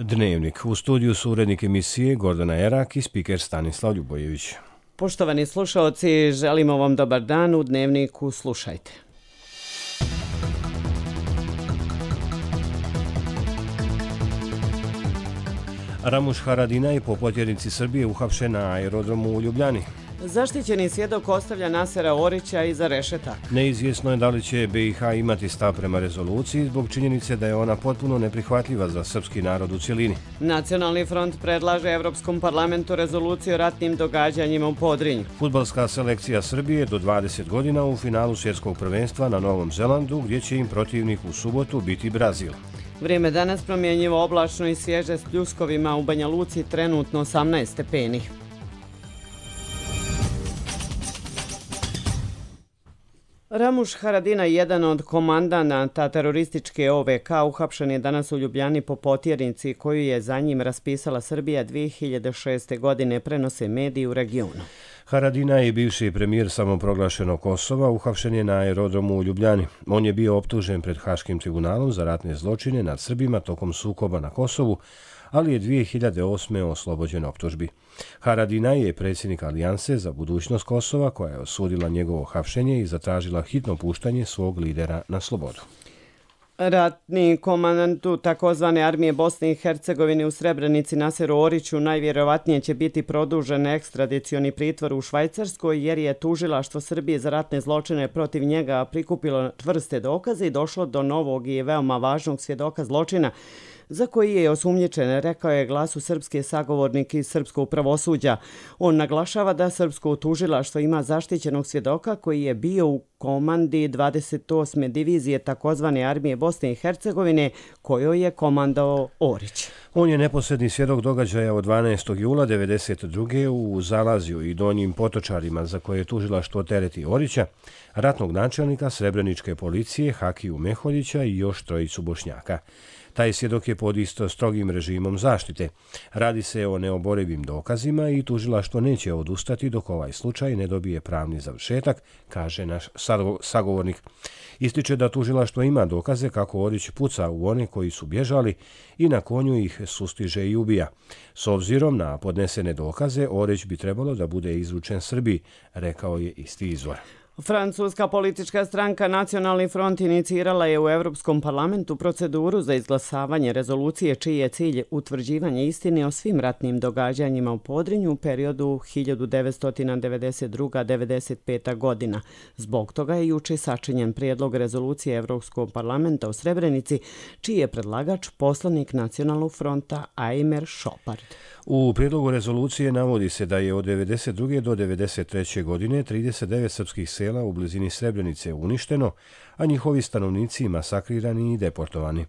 Dnevnik. U studiju su urednik emisije Gordana Erak i spiker Stanislav Ljubojević. Poštovani slušaoci, želimo vam dobar dan. U Dnevniku slušajte. Ramuš Haradinaj po potjernici Srbije uhapšen na aerodromu u Ljubljani. Zaštićeni svjedok ostavlja Nasera Orića iza rešetaka. Neizvjesno je da li će BiH imati stav prema rezoluciji zbog činjenice da je ona potpuno neprihvatljiva za srpski narod u cjelini. Nacionalni front predlaže Evropskom parlamentu rezoluciju o ratnim događanjima u Podrinju. Fudbalska selekcija Srbije do 20 godina u finalu svjetskog prvenstva na Novom Zelandu, gdje će im protivnik u subotu biti Brazil. Vrijeme danas promjenjivo, oblačno i svježe s pljuskovima, u Banja Luci trenutno 18 stepeni. Ramuš Haradinaj, jedan od komandanata terorističke OVK, uhapšen je danas u Ljubljani po potjernici koju je za njim raspisala Srbija 2006. godine, prenose mediji u regionu. Haradinaj je bivši premijer samoproglašenog Kosova, uhapšen je na aerodromu u Ljubljani. On je bio optužen pred Haškim tribunalom za ratne zločine nad Srbima tokom sukoba na Kosovu, ali je 2008. oslobođen optužbi. Haradinaj je predsjednik Alijanse za budućnost Kosova, koja je osudila njegovo hapšenje i zatražila hitno puštanje svog lidera na slobodu. Ratni komandantu takozvane armije Bosne i Hercegovine u Srebrenici Naseru Oriću najvjerovatnije će biti produžen ekstradicioni pritvor u Švajcarskoj, jer je tužilaštvo Srbije za ratne zločine protiv njega prikupilo čvrste dokaze i došlo do novog i veoma važnog svjedoka zločina za koji je osumnjičen, rekao je Glasu srpske sagovornik iz srpskog pravosuđa. On naglašava da srpsko tužilaštvo ima zaštićenog svjedoka koji je bio u komandi 28. divizije takozvane armije Bosne i Hercegovine, kojoj je komandao Orić. On je neposredni svjedok događaja od 12. jula 1992. u Zalazju i Donjim Potočarima, za koje je tužilaštvo tereti Orića, ratnog načelnika Srebreničke policije Hakiju Meholjića i još trojicu Bošnjaka. Taj svjedok je pod isto strogim režimom zaštite. Radi se o neoborivim dokazima i tužilaštvo neće odustati dok ovaj slučaj ne dobije pravni završetak, kaže naš sagovornik. Ističe da tužilaštvo ima dokaze kako Orić puca u one koji su bježali i na konju ih sustiže i ubija. S obzirom na podnesene dokaze, Orić bi trebalo da bude izručen Srbiji, rekao je isti izvor. Francuska politička stranka Nacionalni front inicirala je u Evropskom parlamentu proceduru za izglasavanje rezolucije čiji je cilj utvrđivanje istine o svim ratnim događanjima u Podrinju u periodu 1992-1995. godina. Zbog toga je juče sačinjen prijedlog rezolucije Evropskog parlamenta u Srebrenici, čiji je predlagač poslanik Nacionalnog fronta Ajmer Šopard. U prijedlogu rezolucije navodi se da je od 1992. do 1993. godine 39 srpskih sela u blizini Srebrenice uništeno, a njihovi stanovnici masakrirani i deportovani.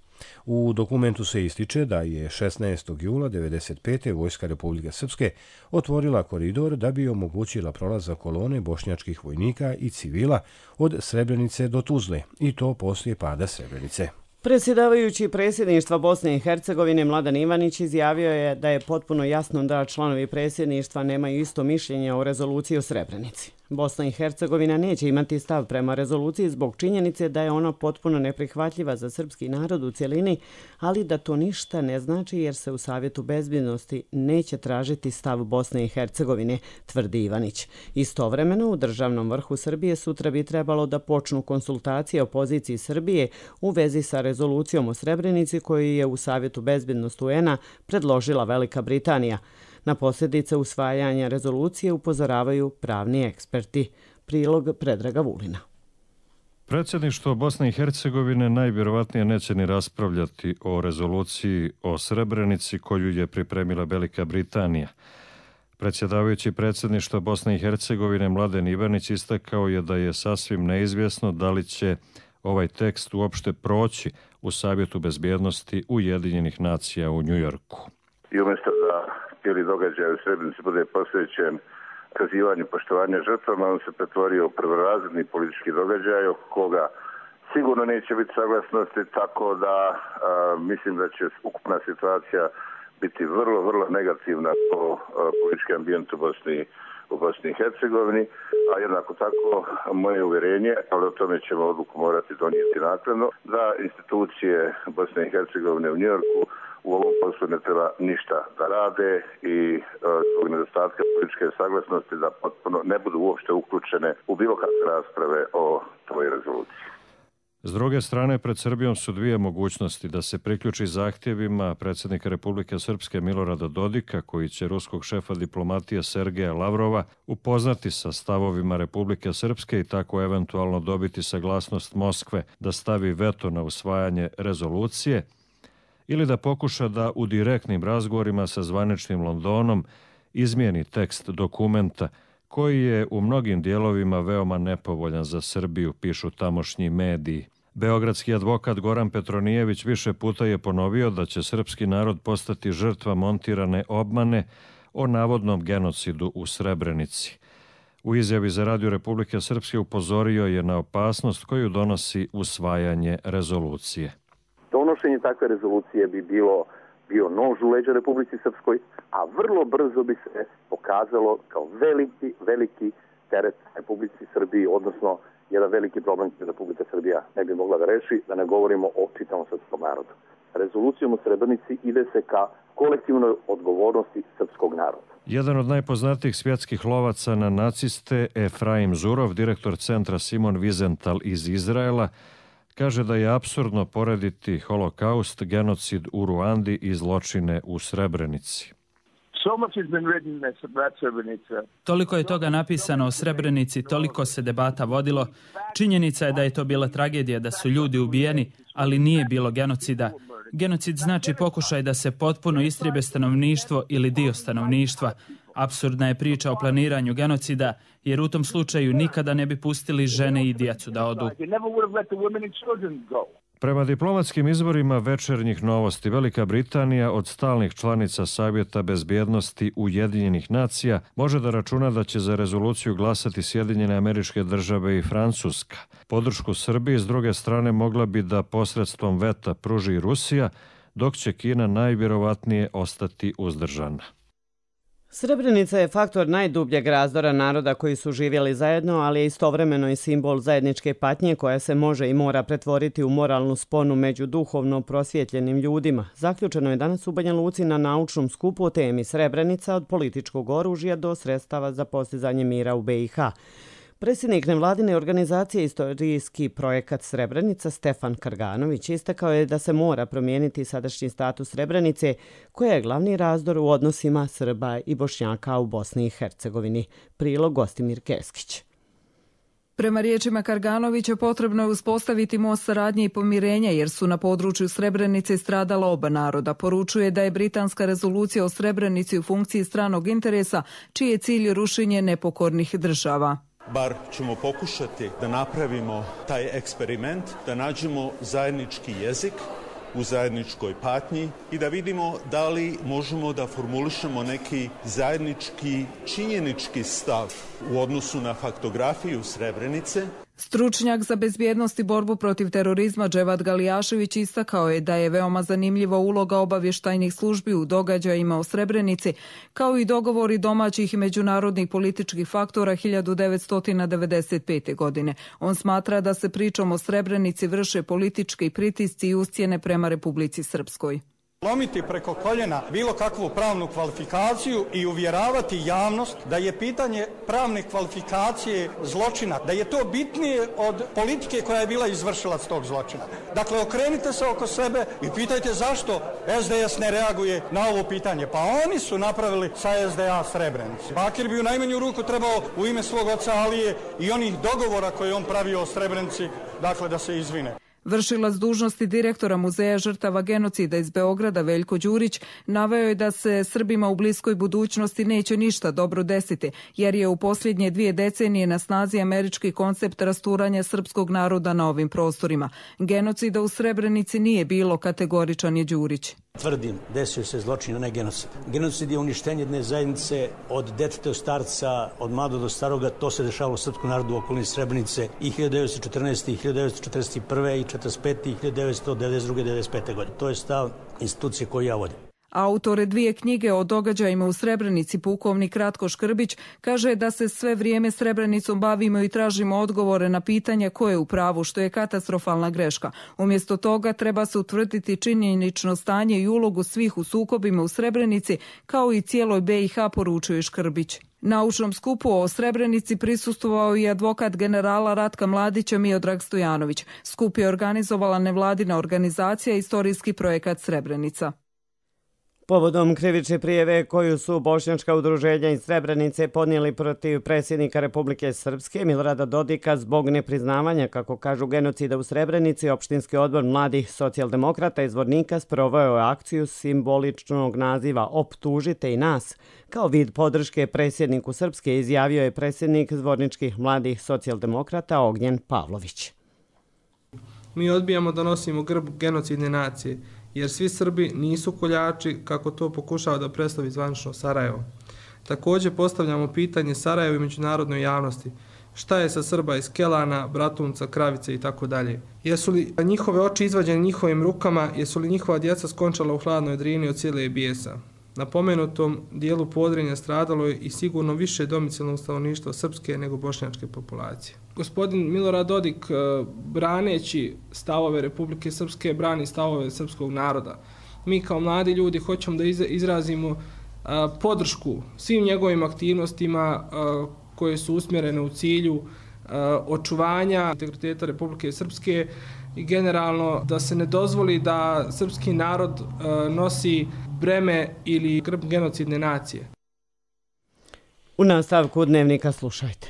U dokumentu se ističe da je 16. jula 1995. Vojska Republike Srpske otvorila koridor da bi omogućila prolazak kolone bošnjačkih vojnika i civila od Srebrenice do Tuzle, i to poslije pada Srebrenice. Predsjedavajući predsjedništva Bosne i Hercegovine Mladen Ivanić izjavio je da je potpuno jasno da članovi predsjedništva nemaju isto mišljenje o rezoluciji o Srebrenici. Bosna i Hercegovina neće imati stav prema rezoluciji zbog činjenice da je ona potpuno neprihvatljiva za srpski narod u cjelini, ali da to ništa ne znači jer se u Savjetu bezbjednosti neće tražiti stav Bosne i Hercegovine, tvrdi Ivanić. Istovremeno u državnom vrhu Srbije sutra bi trebalo da počnu konsultacije o poziciji Srbije u vezi sa rezolucijom o Srebrenici koju je u Savjetu bezbjednosti UN-a predložila Velika Britanija. Na posljedice usvajanja rezolucije upozoravaju pravni eksperti. Prilog Predraga Vulina. Predsjedništvo Bosne i Hercegovine najvjerovatnije neće ni raspravljati o rezoluciji o Srebrenici koju je pripremila Velika Britanija. Predsjedavajući predsjedništva Bosne i Hercegovine Mladen Ivanić istakao je da je sasvim neizvjesno da li će ovaj tekst uopšte proći u Savjetu bezbjednosti Ujedinjenih nacija u Njujorku. I umjesto da cijeli događaj u Srebrenici bude posvećen kazivanju poštovanja žrtvama, on se pretvorio u prvorazredni politički događaj oko koga sigurno neće biti saglasnosti, tako da mislim da će ukupna situacija biti vrlo negativna po politički ambijent u Bosni i Hercegovini, a jednako tako moje uvjerenje, ali o tome ćemo odluku morati donijeti naknadno, da institucije Bosne i Hercegovine u Njujorku u ovom poslu ne treba ništa da rade i zbog nedostatka političke saglasnosti da potpuno ne budu uopšte uključene u bilo kakve rasprave o toj rezoluciji. S druge strane, pred Srbijom su dvije mogućnosti: da se priključi zahtjevima predsjednika Republike Srpske Milorada Dodika, koji će ruskog šefa diplomatije Sergeja Lavrova upoznati sa stavovima Republike Srpske i tako eventualno dobiti saglasnost Moskve da stavi veto na usvajanje rezolucije, ili da pokuša da u direktnim razgovorima sa zvaničnim Londonom izmijeni tekst dokumenta koji je u mnogim dijelovima veoma nepovoljan za Srbiju, pišu tamošnji mediji. Beogradski advokat Goran Petronijević više puta je ponovio da će srpski narod postati žrtva montirane obmane o navodnom genocidu u Srebrenici. U izjavi za Radio Republike Srpske upozorio je na opasnost koju donosi usvajanje rezolucije. Donošenje takve rezolucije bi bio nož u leđa Republici Srpskoj, a vrlo brzo bi se pokazalo kao veliki teret Republici Srbiji, odnosno jedan veliki problem koji Republika Srbija ne bi mogla da reši, da ne govorimo o čitavom srpskom narodu. Rezolucijom u Srebrenici ide se ka kolektivnoj odgovornosti srpskog naroda. Jedan od najpoznatijih svjetskih lovaca na naciste, Efraim Zurov, direktor centra Simon Wiesenthal iz Izraela, kaže da je apsurdno porediti holokaust, genocid u Ruandi i zločine u Srebrenici. Toliko je toga napisano o Srebrenici, toliko se debata vodilo. Činjenica je da je to bila tragedija, da su ljudi ubijeni, ali nije bilo genocida. Genocid znači pokušaj da se potpuno istrijebe stanovništvo ili dio stanovništva. Apsurdna je priča o planiranju genocida, jer u tom slučaju nikada ne bi pustili žene i djecu da odu. Prema diplomatskim izvorima Večernjih novosti, Velika Britanija od stalnih članica Savjeta bezbjednosti Ujedinjenih nacija može da računa da će za rezoluciju glasati Sjedinjene Američke Države i Francuska. Podršku Srbiji s druge strane mogla bi da posredstvom veta pruži Rusija, dok će Kina najvjerovatnije ostati uzdržana. Srebrenica je faktor najdubljeg razdora naroda koji su živjeli zajedno, ali je istovremeno i simbol zajedničke patnje koja se može i mora pretvoriti u moralnu sponu među duhovno prosvjetljenim ljudima. Zaključeno je danas u Banja Luci na naučnom skupu o temi Srebrenica od političkog oružja do sredstava za postizanje mira u BiH. Predsjednik nevladine organizacije Istorijski projekat Srebrenica Stefan Karganović istakao je da se mora promijeniti sadašnji status Srebrenice, koja je glavni razdor u odnosima Srba i Bošnjaka u Bosni i Hercegovini. Prilog Gostimir Keskić. Prema riječima Karganovića potrebno je uspostaviti most saradnje i pomirenja jer su na području Srebrenice stradala oba naroda. Poručuje da je britanska rezolucija o Srebrenici u funkciji stranog interesa, čiji je cilj rušenje nepokornih država. Bar ćemo pokušati da napravimo taj eksperiment, da nađemo zajednički jezik u zajedničkoj patnji i da vidimo da li možemo da formulišemo neki zajednički činjenički stav u odnosu na faktografiju Srebrenice. Stručnjak za bezbjednost i borbu protiv terorizma Dževad Galijašević istakao je da je veoma zanimljiva uloga obavještajnih službi u događajima o Srebrenici, kao i dogovori domaćih i međunarodnih političkih faktora 1995. godine. On smatra da se pričom o Srebrenici vrše politički pritisci i ucjene prema Republici Srpskoj. Lomiti preko koljena bilo kakvu pravnu kvalifikaciju i uvjeravati javnost da je pitanje pravne kvalifikacije zločina, da je to bitnije od politike koja je bila izvršilac tog zločina. Dakle, okrenite se oko sebe i pitajte zašto SDS ne reaguje na ovo pitanje. Pa oni su napravili sa SDA Srebrenicu. Bakir bi u najmanju ruku trebao u ime svog oca Alije i onih dogovora koje on pravio o Srebrenici, dakle da se izvine. Vršilac dužnosti direktora Muzeja žrtava genocida iz Beograda Veljko Đurić naveo je da se Srbima u bliskoj budućnosti neće ništa dobro desiti, jer je u posljednje 2 decenije na snazi američki koncept rasturanja srpskog naroda na ovim prostorima. Genocida u Srebrenici nije bilo, kategoričan je Đurić. Tvrdim, desio se zločin, a ne genocid. Genocid je uništenje jedne zajednice od deteta do starca, od mladog do staroga. To se dešavalo srpskom narodu u okolini Srebrenice i 1914. i 1941. i 1945. i 1992. 1995. godine. To je stav institucije koju ja vodim. Autore 2 knjige o događajima u Srebrenici, pukovnik Ratko Škrbić, kaže da se sve vrijeme Srebrenicom bavimo i tražimo odgovore na pitanja ko je u pravu, što je katastrofalna greška. Umjesto toga treba se utvrditi činjenično stanje i ulogu svih u sukobima u Srebrenici, kao i cijeloj BiH, poručuje Škrbić. Naučnom skupu o Srebrenici prisustvovao i advokat generala Ratka Mladića Miodrag Stojanović. Skup je organizovala nevladina organizacija Istorijski projekat Srebrenica. Povodom krivične prijeve koju su bošnjačka udruženja iz Srebrenice podnijeli protiv predsjednika Republike Srpske Milorada Dodika zbog nepriznavanja, kako kažu, genocida u Srebrenici, opštinski odbor mladih socijaldemokrata iz Zvornika sproveo je akciju simboličnog naziva Optužite i nas. Kao vid podrške predsjedniku Srpske izjavio je predsjednik Zvorničkih mladih socijaldemokrata Ognjen Pavlović. Mi odbijamo da nosimo grb genocidne nacije, jer svi Srbi nisu koljači, kako to pokušava da predstavi zvanično Sarajevo. Također postavljamo pitanje Sarajevu i međunarodnoj javnosti. Šta je sa Srba iz Kelana, Bratunca, Kravice i tako dalje? Jesu li njihove oči izvađene njihovim rukama, jesu li njihova djeca skončala u hladnoj Drini od cijele bijesa? Na pomenutom dijelu Podrinja stradalo je i sigurno više domicilnog stanovništva srpske nego bošnjačke populacije. Gospodin Milorad Dodik, braneći stavove Republike Srpske, brani stavove srpskog naroda. Mi kao mladi ljudi hoćemo da izrazimo podršku svim njegovim aktivnostima koje su usmjerene u cilju očuvanja integriteta Republike Srpske i generalno da se ne dozvoli da srpski narod nosi breme ili grb genocidne nacije. U nastavku Dnevnika slušajte.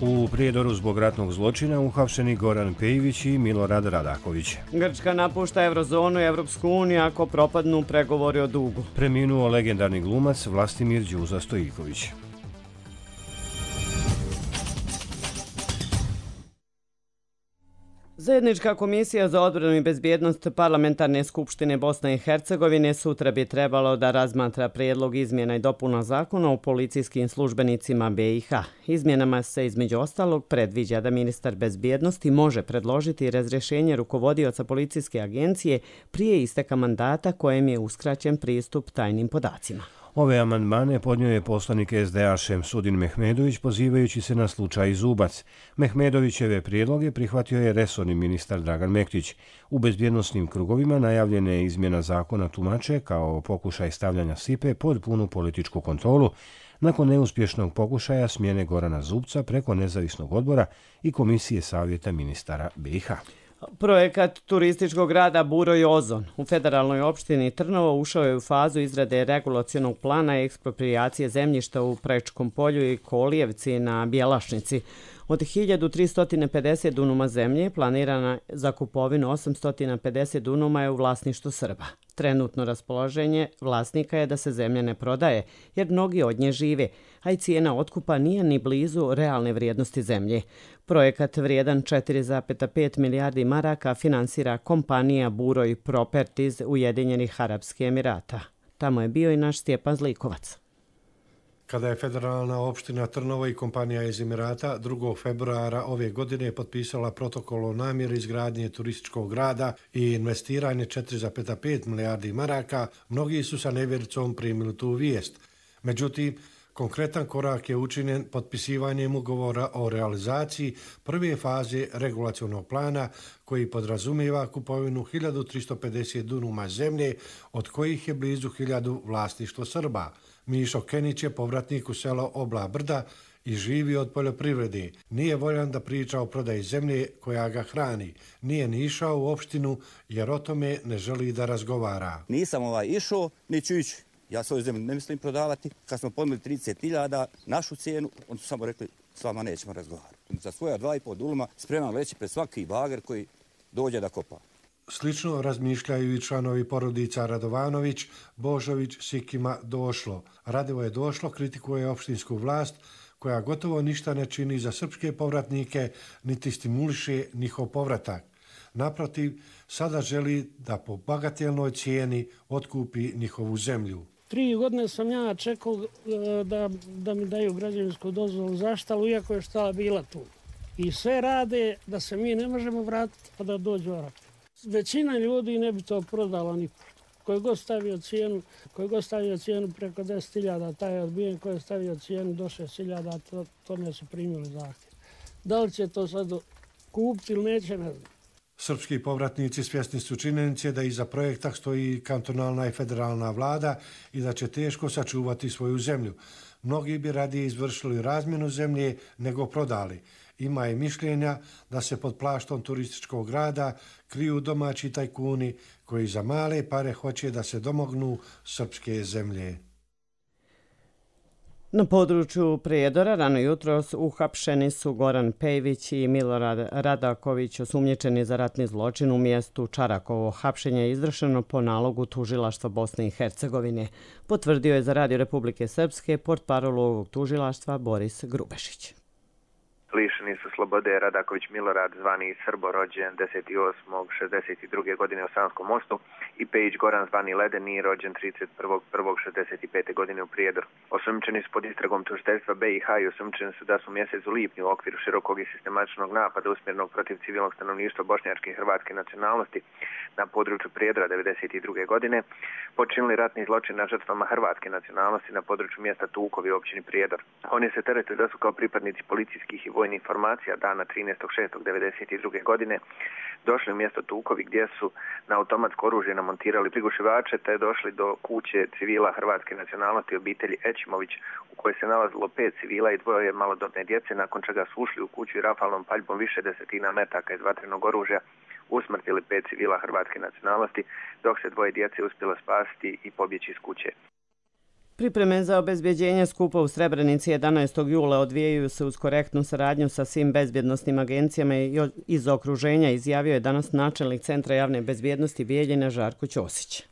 U prijedoru zbog ratnog zločina uhapšeni Goran Pejivić i Milorad Radaković. Grčka napušta Eurozonu i Evropsku uniju ako propadnu pregovori o dugu. Preminuo legendarni glumac Vlastimir Đuza Stojiković. Zajednička komisija za odbranu i bezbjednost Parlamentarne skupštine Bosne i Hercegovine sutra bi trebalo da razmatra prijedlog izmjena i dopuna zakona o policijskim službenicima BiH. Izmjenama se između ostalog predviđa da ministar bezbjednosti može predložiti razrješenje rukovodioca policijske agencije prije isteka mandata kojem je uskraćen pristup tajnim podacima. Ove amandmane podnio je poslanik SDA Šemsudin Mehmedović pozivajući se na slučaj Zubac. Mehmedovićeve prijedloge prihvatio je resorni ministar Dragan Mektić. U bezbjednosnim krugovima najavljena je izmjena zakona tumače kao pokušaj stavljanja Sipe pod punu političku kontrolu nakon neuspješnog pokušaja smjene Gorana Zubca preko nezavisnog odbora i komisije savjeta ministara BiH. Projekat turističkog grada Buro i Ozon u federalnoj opštini Trnovo ušao je u fazu izrade regulacionog plana i eksproprijacije zemljišta u Prečkom polju i Kolijevci na Bjelašnici. Od 1350 dunuma zemlje planirana za kupovinu 850 dunuma je u vlasništvu Srba. Trenutno raspoloženje vlasnika je da se zemlja ne prodaje, jer mnogi od nje žive, a i cijena otkupa nije ni blizu realne vrijednosti zemlje. Projekat vrijedan 4,5 milijardi maraka finansira kompanija Buroj Properties Ujedinjenih Arapskih Emirata. Tamo je bio i naš Stjepan Zlikovac. Kada je federalna opština Trnovo i kompanija iz Emirata 2. februara ove godine potpisala protokol o namjeri izgradnje turističkog grada i investiranje 4,5 milijardi maraka, mnogi su sa nevjericom primili tu vijest. Međutim, konkretan korak je učinjen potpisivanjem ugovora o realizaciji prve faze regulacionog plana koji podrazumijeva kupovinu 1350 dunuma zemlje, od kojih je blizu 1000 vlasništvo Srba. Mišo Kenić je povratnik u selo Obla Brda i živi od poljoprivrede. Nije voljan da priča o prodaji zemlje koja ga hrani. Nije ni išao u opštinu jer o tome ne želi da razgovara. Nisam išao, ni ću ići. Ja svoju zemlju ne mislim prodavati. Kad smo ponudili 30.000 našu cijenu, oni su samo rekli s vama nećemo razgovarati. Za svoja 2,5 duluma spreman leći pred svaki bager koji dođe da kopa. Slično razmišljaju i članovi porodica Radovanović, Božović, Sikima, Došlo. Radevo je Došlo kritikuje opštinsku vlast koja gotovo ništa ne čini za srpske povratnike, niti stimuliše njihov povratak. Naprotiv, sada želi da po bagatelnoj cijeni otkupi njihovu zemlju. 3 godine sam ja čekao da mi daju građevinsku dozvolu za štalu, iako je štala bila tu. i sve rade da se mi ne možemo vratiti pa da dođu Arapi. Većina ljudi ne bi to prodala nipošto. Koji god stavio cijenu preko 10.000, taj je odbijen, koji je stavio cijenu do 6.000, to ne su primili zahtjev. Da li će to sad kupiti ili neće, ne znam. Srpski povratnici svjesni su činjenice da iza projekta stoji kantonalna i federalna vlada i da će teško sačuvati svoju zemlju. Mnogi bi radije izvršili razmjenu zemlje nego prodali. Ima i mišljenja da se pod plaštom turističkog grada kriju domaći tajkuni koji za male pare hoće da se domognu srpske zemlje. Na području Prijedora rano jutros uhapšeni su Goran Pejević i Milorad Radaković, osumnjičeni za ratni zločin u mjestu Čarakovo. Hapšenje je izvršeno po nalogu tužilaštva Bosne i Hercegovine. Potvrdio je za Radio Republike Srpske portparol ovog tužilaštva Boris Grubešić. Lišeni su slobode Radaković Milorad, zvani Srbo, rođen 10.8.62. godine u Sanskom mostu, i Pejić Goran, zvani Ledeni, rođen 31.1.65. godine u Prijedoru. Osumnjičeni su pod istragom tužiteljstva BiH i osumnjičeni su da su u mjesecu lipnju u okviru širokog i sistematičnog napada usmjerenog protiv civilnog stanovništva bošnjačke i hrvatske nacionalnosti na području Prijedora 1992. godine počinili ratni zločin na žrtvama hrvatske nacionalnosti na području mjesta Tukovi u općini Prijedor. Oni se terete da su kao pripadnici policijskih i vojnih formacija dana 13.6.1992. godine došli u mjesto Tukovi gdje su na automatsko oružje namontirali prigušivače te došli do kuće civila hrvatske nacionalnosti obitelji Ećimović u kojoj se nalazilo 5 civila i 2 malodobne djece, nakon čega su ušli u kuću i rafalnom paljbom više desetina metaka iz vatrenog oružja usmrtili 5 civila hrvatske nacionalnosti, dok se 2 djece uspjelo spasiti i pobjeći iz kuće. Pripreme za obezbjeđenje skupa u Srebrenici 11. jula odvijaju se uz korektnu saradnju sa svim bezbjednosnim agencijama iz okruženja, izjavio je danas načelnik Centra javne bezbjednosti Bijeljine Žarko Ćosić.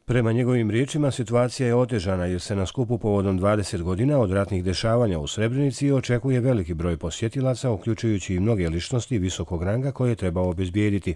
Prema njegovim riječima, situacija je otežana jer se na skupu povodom 20 godina od ratnih dešavanja u Srebrenici očekuje veliki broj posjetilaca, uključujući i mnoge ličnosti visokog ranga koje treba obezbijediti.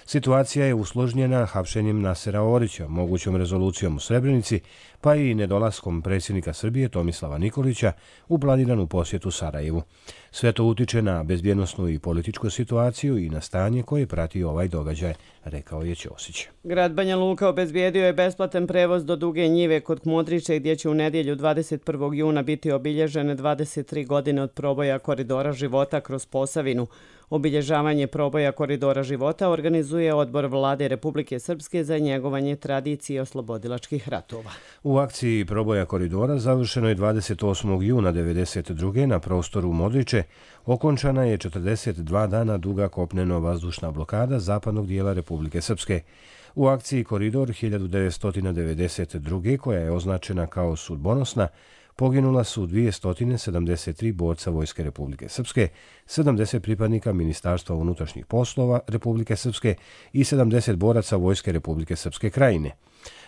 Situacija je usložnjena hapšenjem Nasera Orića, mogućom rezolucijom u Srebrenici, pa i nedolaskom predsjednika Srbije Tomislava Nikolića u planiranu posjetu Sarajevu. Sve to utiče na bezbjednosnu i političku situaciju i na stanje koje prati ovaj događaj, rekao je Ćosić. Grad Banja Luka obezbijedio je besplatan prevoz do Duge njive kod Kmodriće, gdje će u nedjelju 21. juna biti obilježene 23 godine od proboja Koridora života kroz Posavinu. Obilježavanje proboja Koridora života organizuje Odbor Vlade Republike Srpske za njegovanje tradicije oslobodilačkih ratova. U akciji proboja koridora završeno je 28. juna 1992. na prostoru Modriče. Okončana je 42 dana duga kopneno-vazdušna blokada zapadnog dijela Republike Srpske. U akciji Koridor 1992. koja je označena kao sudbonosna, poginula su 273 borca Vojske Republike Srpske, 70 pripadnika Ministarstva unutrašnjih poslova Republike Srpske i 70 boraca Vojske Republike Srpske krajine.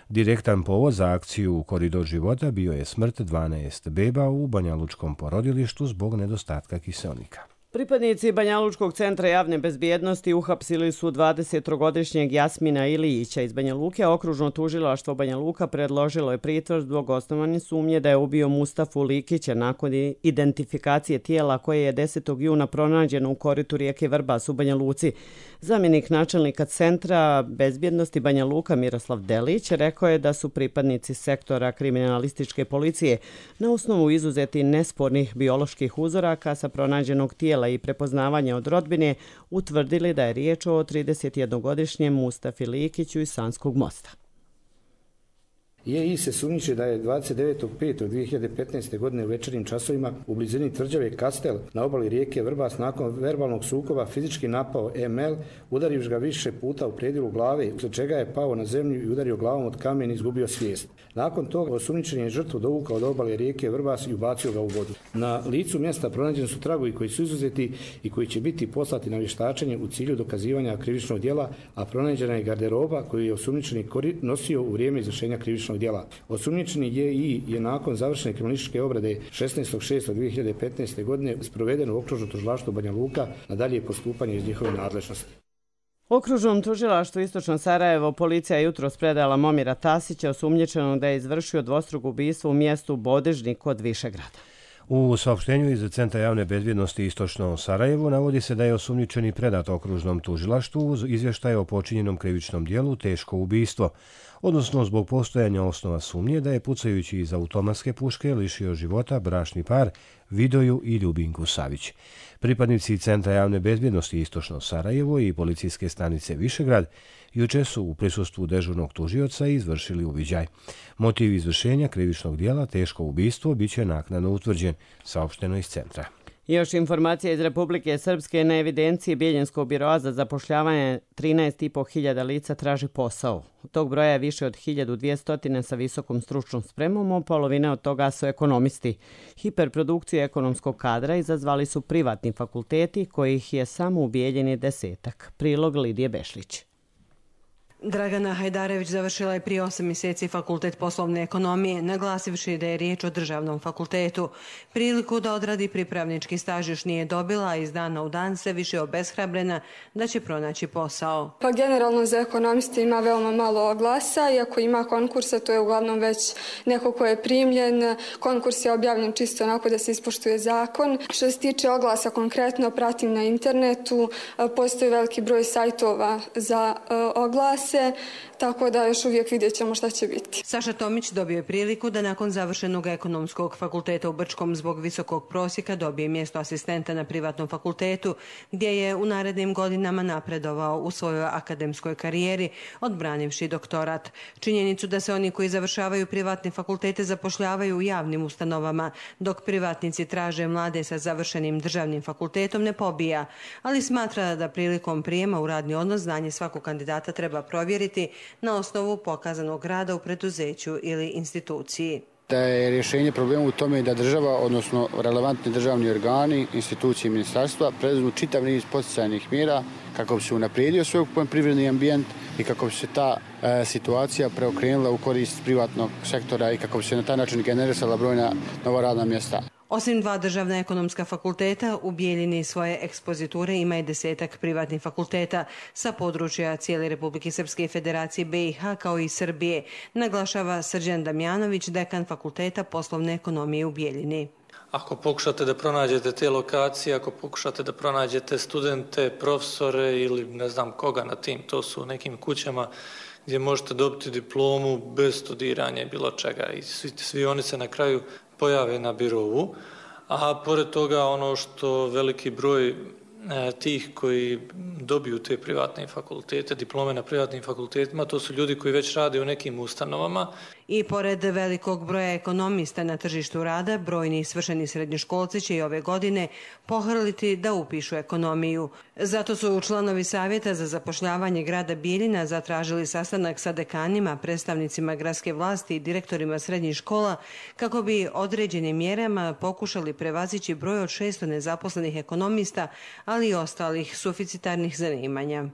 Direktan povod za akciju Koridor života bio je smrt 12 beba u banjalučkom porodilištu zbog nedostatka kiseonika. Pripadnici Banjalučkog centra javne bezbjednosti uhapsili su 23-godišnjeg Jasmina Ilijića iz Banja Luke, a okružno tužilaštvo Banja Luka predložilo je pritvor zbog osnovane sumnje da je ubio Mustafu Likića nakon identifikacije tijela koje je 10. juna pronađeno u koritu rijeke Vrbas u Banja Luci. Zamjenik načelnika centra bezbjednosti Banja Luka Miroslav Delić rekao je da su pripadnici sektora kriminalističke policije na osnovu izuzeti nespornih bioloških uzoraka sa pronađenog tijela i prepoznavanja od rodbine utvrdili da je riječ o 31-godišnjem Mustafi Likiću iz Sanskog mosta. JI se sumnjiče da je 29.5.2015. godine u večernjim časovima u blizini tvrđave Kastel na obali rijeke Vrbas nakon verbalnog sukoba fizički napao ML, udarivši ga više puta u predjelu glave, uslijed čega je pao na zemlju i udario glavom od kamen i izgubio svijest. Nakon toga osumnjičen je žrtvu dovukao od obale rijeke Vrbas i ubacio ga u vodu. Na licu mjesta pronađeni su tragovi koji su izuzeti i koji će biti poslati na vještačenje u cilju dokazivanja krivičnog djela, a pronađena je garderoba koju je osumnjičeni nosio u vrijeme izvršenja krivičnog djela. Osumnjičeni JI je nakon završene kriminalističke obrade 16.6.2015. godine sproveden u okružno tužilaštvo Banja Luka na dalje postupanje iz njihove nadležnosti. Okružnom tužilaštvu Istočno Sarajevo policija jutros predala Momira Tasića, osumnjičenog da je izvršio dvostruko ubistvo u mjestu Bodežnik kod Višegrada. U saopštenju iz Centra javne bezbjednosti Istočno Sarajevo navodi se da je osumnjičeni predat okružnom tužilaštvu uz izvještaj o počinjenom krivičnom dijelu teško ubistvo, odnosno zbog postojanja osnova sumnje da je pucajući iz automatske puške lišio života bračni par Vidoju i Ljubinku Savić. Pripadnici Centra javne bezbjednosti Istočno Sarajevo i policijske stanice Višegrad juče su u prisustvu dežurnog tužioca izvršili uviđaj. Motiv izvršenja krivičnog dijela teško ubistvo biće naknadno utvrđen, saopšteno iz centra. Još informacija iz Republike Srpske. Na evidenciji Bijeljinskog biroa za zapošljavanje 13.500 lica traži posao. Od tog broja je više od 1200 sa visokom stručnom spremom, a polovina od toga su ekonomisti. Hiperprodukciju ekonomskog kadra izazvali su privatni fakulteti, kojih je samo u Bijeljini 10. Prilog Lidije Bešlić. Dragana Hajdarević završila je prije 8 mjeseci fakultet poslovne ekonomije, naglasivši da je riječ o državnom fakultetu. Priliku da odradi pripravnički staž još nije dobila, a iz dana u dan sve više obeshrabrena da će pronaći posao. Pa generalno za ekonomiste ima veoma malo oglasa, iako ima konkursa, to je uglavnom već neko ko je primljen. Konkurs je objavljen čisto onako da se ispoštuje zakon. Što se tiče oglasa konkretno, pratim na internetu, postoji veliki broj sajtova za oglase, tako da još uvijek vidjet ćemo šta će biti. Saša Tomić dobio je priliku da nakon završenog ekonomskog fakulteta u Brčkom zbog visokog prosjeka dobije mjesto asistenta na privatnom fakultetu, gdje je u narednim godinama napredovao u svojoj akademskoj karijeri, odbranivši doktorat. Činjenicu da se oni koji završavaju privatne fakultete zapošljavaju u javnim ustanovama, dok privatnici traže mlade sa završenim državnim fakultetom, ne pobija, ali smatra da prilikom prijema u radni odnos znanje svakog kandidata treba provjeriti na osnovu pokazanog rada u preduzeću ili instituciji. Da je rješenje problema u tome da država, odnosno relevantni državni organi, institucije i ministarstva preduzmu čitav niz poticajnih mjera kako bi se unaprijedio svoj privredni ambijent i kako bi se ta situacija preokrenula u korist privatnog sektora i kako bi se na taj način generisala brojna nova radna mjesta. Osim 2 državna ekonomska fakulteta, u Bijeljini svoje ekspoziture ima i 10 privatnih fakulteta sa područja cijele Republike Srpske i Federacije BiH kao i Srbije, naglašava Srđan Damjanović, dekan Fakulteta poslovne ekonomije u Bijeljini. Ako pokušate da pronađete te lokacije, ako pokušate da pronađete studente, profesore ili ne znam koga na tim, to su u nekim kućama gdje možete dobiti diplomu bez studiranja i bilo čega i svi oni se na kraju pojave na birovu, a pored toga ono što veliki broj tih koji dobiju te privatne fakultete, diplome na privatnim fakultetima, to su ljudi koji već rade u nekim ustanovama. I pored velikog broja ekonomista na tržištu rada, brojni svršeni srednjoškolci će i ove godine pohrliti da upišu ekonomiju. Zato su članovi Savjeta za zapošljavanje grada Bijeljina zatražili sastanak sa dekanima, predstavnicima gradske vlasti i direktorima srednjih škola kako bi određenim mjerama pokušali prevazići broj od 600 nezaposlenih ekonomista, ali i ostalih suficitarnih zanimanja.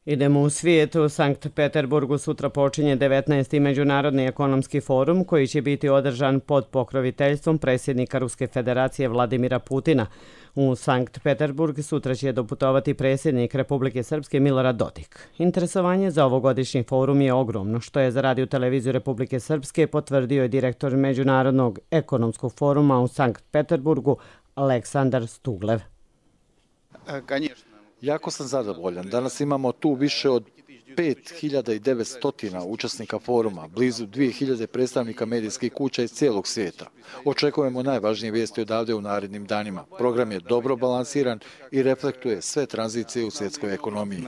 Idemo u svijet. U Sankt Peterburgu sutra počinje 19. Međunarodni ekonomski forum koji će biti održan pod pokroviteljstvom predsjednika Ruske federacije Vladimira Putina. U Sankt Peterburg sutra će doputovati predsjednik Republike Srpske Milorad Dodik. Interesovanje za ovogodišnji forum je ogromno, što je za Radio televiziju Republike Srpske potvrdio je direktor Međunarodnog ekonomskog foruma u Sankt Peterburgu Aleksandar Stuglev. Jako sam zadovoljan. Danas imamo tu više od 5900 učesnika foruma, blizu 2000 predstavnika medijskih kuća iz cijelog svijeta. Očekujemo najvažnije vijesti odavde u narednim danima. Program je dobro balansiran i reflektuje sve tranzicije u svjetskoj ekonomiji.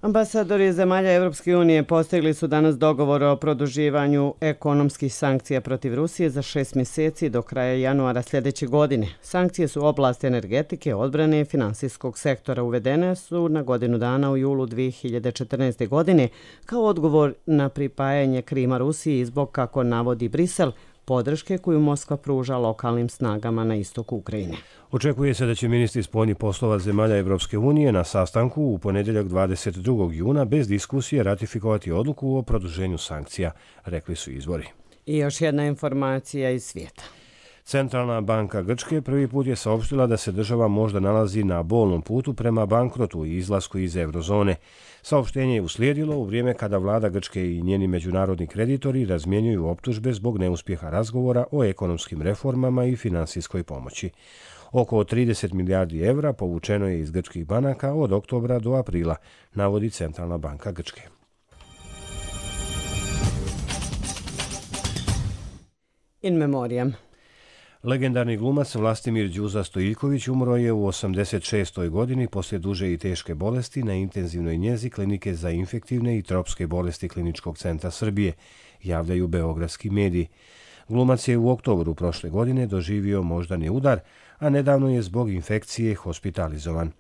Ambasadori zemalja Europske unije postigli su danas dogovor o produživanju ekonomskih sankcija protiv Rusije za 6 mjeseci do kraja januara sljedeće godine. Sankcije su u oblasti energetike, odbrane i finansijskog sektora. Uvedene su na godinu dana u julu 2014. godine kao odgovor na pripajanje Krima Rusiji i zbog, kako navodi Brisel, podrške koju Moskva pruža lokalnim snagama na istoku Ukrajine. Očekuje se da će ministri spoljnih poslova zemalja Evropske unije na sastanku u ponedjeljak 22. juna bez diskusije ratifikovati odluku o produženju sankcija, rekli su izvori. I još jedna informacija iz svijeta. Centralna banka Grčke prvi put je saopštila da se država možda nalazi na bolnom putu prema bankrotu i izlasku iz eurozone. Saopštenje je uslijedilo u vrijeme kada vlada Grčke i njeni međunarodni kreditori razmjenjuju optužbe zbog neuspjeha razgovora o ekonomskim reformama i finansijskoj pomoći. Oko 30 milijardi evra povučeno je iz grčkih banaka od oktobra do aprila, navodi Centralna banka Grčke. In memoriam. Legendarni glumac Vlastimir Đuza Stojiljković umro je u 86. godini poslije duže i teške bolesti na intenzivnoj njezi Klinike za infektivne i tropske bolesti Kliničkog centra Srbije, javljaju beogradski mediji. Glumac je u oktobru prošle godine doživio moždani udar, a nedavno je zbog infekcije hospitalizovan.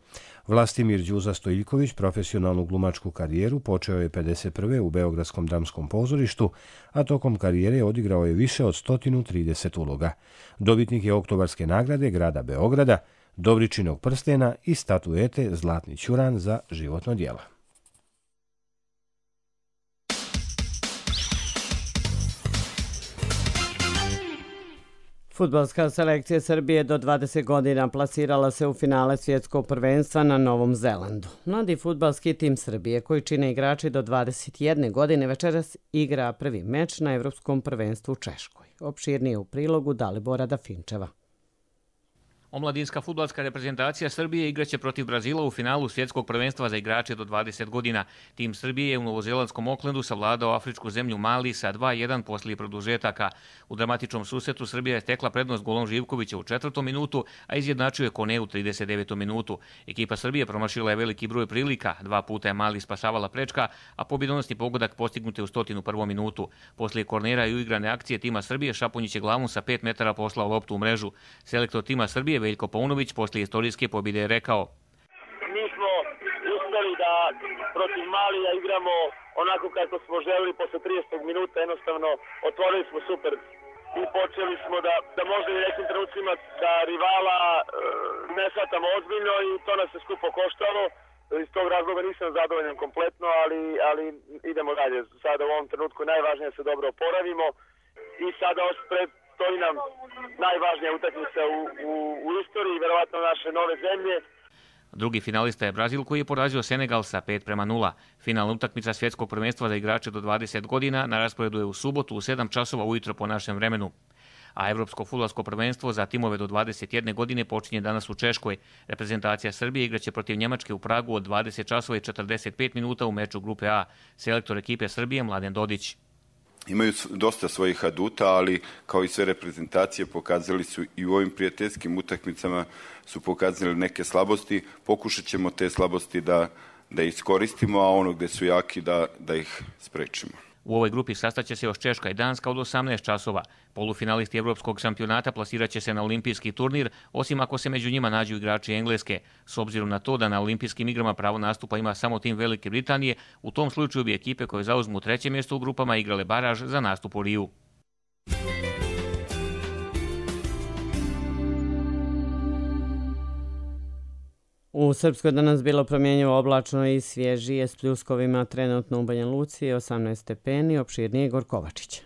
Vlastimir Đuza Stojiljković profesionalnu glumačku karijeru počeo je 51. u Beogradskom dramskom pozorištu, a tokom karijere odigrao je više od 130 uloga. Dobitnik je oktobarske nagrade grada Beograda, Dobričinog prstena i statuete Zlatni ćuran za životno djelo. Fudbalska selekcija Srbije do 20 godina plasirala se u finale svjetskog prvenstva na Novom Zelandu. Mladi fudbalski tim Srbije, koji čine igrači do 21 godine, večeras igra prvi meč na Evropskom prvenstvu u Češkoj. Opširnije u prilogu Dalibora Dafinčeva. Omladinska fudbalska reprezentacija Srbije igraće protiv Brazila u finalu svjetskog prvenstva za igrače do 20 godina. Tim Srbije je u novozelandskom Oklendu savladao afričku zemlju Mali sa 2-1 poslije produžetaka. U dramatičnom susretu Srbija je stekla prednost golom Živkovića u 4. minutu, a izjednačio je Kone u 39. minutu. Ekipa Srbije promašila je veliki broj prilika, 2 puta je Mali spašavala prečka, a pobjedonosni pogodak postignut je u 101. minutu. Poslije kornera i uigrane akcije tima Srbije, Šapunjić je glavom sa 5 metara poslao loptu u mrežu. Selektor tima Srbije Veljko Paunović poslije istorijske pobjede je rekao: Mi smo uspjeli da protiv Malija igramo onako kako smo želili posle 30. minuta, jednostavno otvorili smo super i počeli smo da možda i nekim trenucima da rivala ne shvatamo ozbiljno i to nas se skupo koštalo. Iz tog razloga nisam zadovoljan kompletno, ali idemo dalje. Sada u ovom trenutku najvažnije je se dobro oporavimo i sada stoji nam najvažnija utakmica u istoriji, verovatno naše nove zemlje. Drugi finalista je Brazil, koji je porazio Senegal sa 5-0. Finalna utakmica svjetskog prvenstva za igrače do 20 godina na rasporedu je u subotu u 7 časova ujutro po našem vremenu. A Evropsko fudbalsko prvenstvo za timove do 21 godine počinje danas u Češkoj. Reprezentacija Srbije igraće protiv Njemačke u Pragu od 20 časova i 45 minuta u meču grupe A. Selektor ekipe Srbije Mladen Dodić. Imaju dosta svojih aduta, ali kao i sve reprezentacije pokazali su i u ovim prijateljskim utakmicama su pokazali neke slabosti. Pokušat ćemo te slabosti da iskoristimo, a ono gdje su jaki da ih sprečimo. U ovoj grupi sastaće se još Češka i Danska od 18 časova. Polufinalisti Evropskog šampionata plasirat će se na olimpijski turnir, osim ako se među njima nađu igrači Engleske. S obzirom na to da na olimpijskim igrama pravo nastupa ima samo tim Velike Britanije, u tom slučaju bi ekipe koje zauzmu 3. mjesto u grupama igrale baraž za nastup u Riju. U Srpskoj danas bilo promjenjivo oblačno i svježije s pljuskovima, trenutno u Banja Luci 18 stepeni, opširnije Igor Kovačić.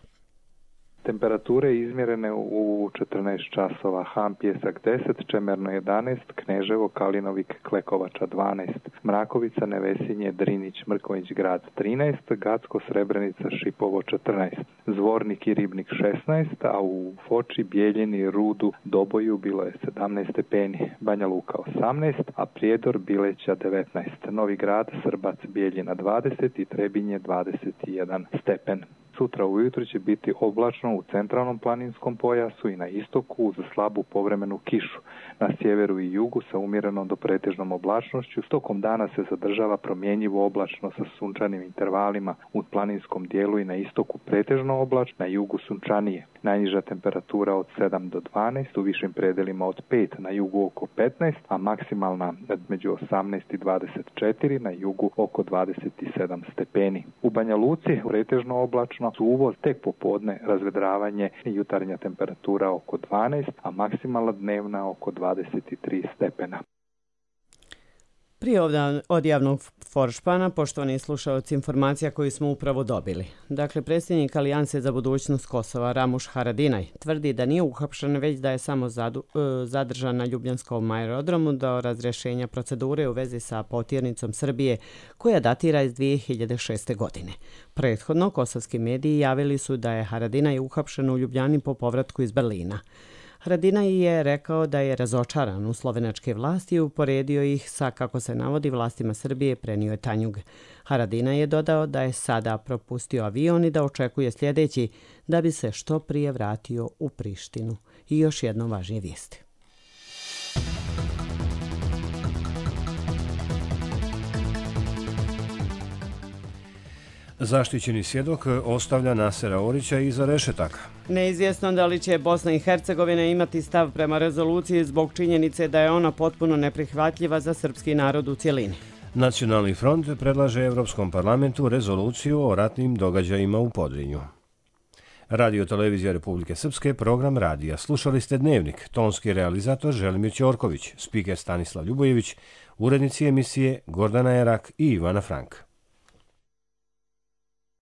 Temperature izmjerene u 14 časova, Ham Pjesak 10, Čemerno 11, Kneževo, Kalinovik, Klekovača 12, Mrakovica, Nevesinje, Drinić, Mrkonjić grad 13, Gacko, Srebrenica, Šipovo 14, Zvornik i Ribnik 16, a u Foči, Bijeljini, Rudu, Doboju bilo je 17 stepeni, Banja Luka 18, a Prijedor, Bileća 19, Novi Grad, Srbac, Bijeljina 20 i Trebinje 21 stepen. Sutra ujutro će biti oblačno u centralnom planinskom pojasu i na istoku uz slabu povremenu kišu. Na sjeveru i jugu sa umjerenom do pretežnom oblačnošću. Tokom dana se zadržava promjenjivo oblačno sa sunčanim intervalima u planinskom dijelu i na istoku pretežno oblačno, na jugu sunčanije. Najniža temperatura od 7 do 12, u višim predelima od 5, na jugu oko 15, a maksimalna među 18 i 24, na jugu oko 27 stepeni. U Banja Luci pretežno oblačno, uvoz tek popodne, razvedravanje i jutarnja temperatura oko 12, a maksimalna dnevna oko 23 stepena. Prije od javnog foršpana, poštovani slušalci, informacija koju smo upravo dobili. Dakle, predsjednik Alijanse za budućnost Kosova, Ramuš Haradinaj, tvrdi da nije uhapšen, već da je samo zadržan na Ljubljanskom aerodromu do razrješenja procedure u vezi sa potjernicom Srbije, koja datira iz 2006. godine. Prethodno, kosovski mediji javili su da je Haradinaj uhapšen u Ljubljani po povratku iz Berlina. Haradinaj je rekao da je razočaran u slovenačke vlasti i uporedio ih sa, kako se navodi, vlastima Srbije, prenio je Tanjug. Haradinaj je dodao da je sada propustio avion i da očekuje sljedeći da bi se što prije vratio u Prištinu. I još jedno važnije vijesti. Zaštićeni svjedok ostavlja Nasera Orića iza rešetaka. Neizvjesno da li će Bosna i Hercegovina imati stav prema rezoluciji zbog činjenice da je ona potpuno neprihvatljiva za srpski narod u cjelini. Nacionalni front predlaže Evropskom parlamentu rezoluciju o ratnim događajima u Podrinju. Radio Televizija Republike Srpske, program radija. Slušali ste Dnevnik, tonski realizator Želimir Ćorković, spiker Stanislav Ljubojević, urednici emisije Gordana Erak i Ivana Frank.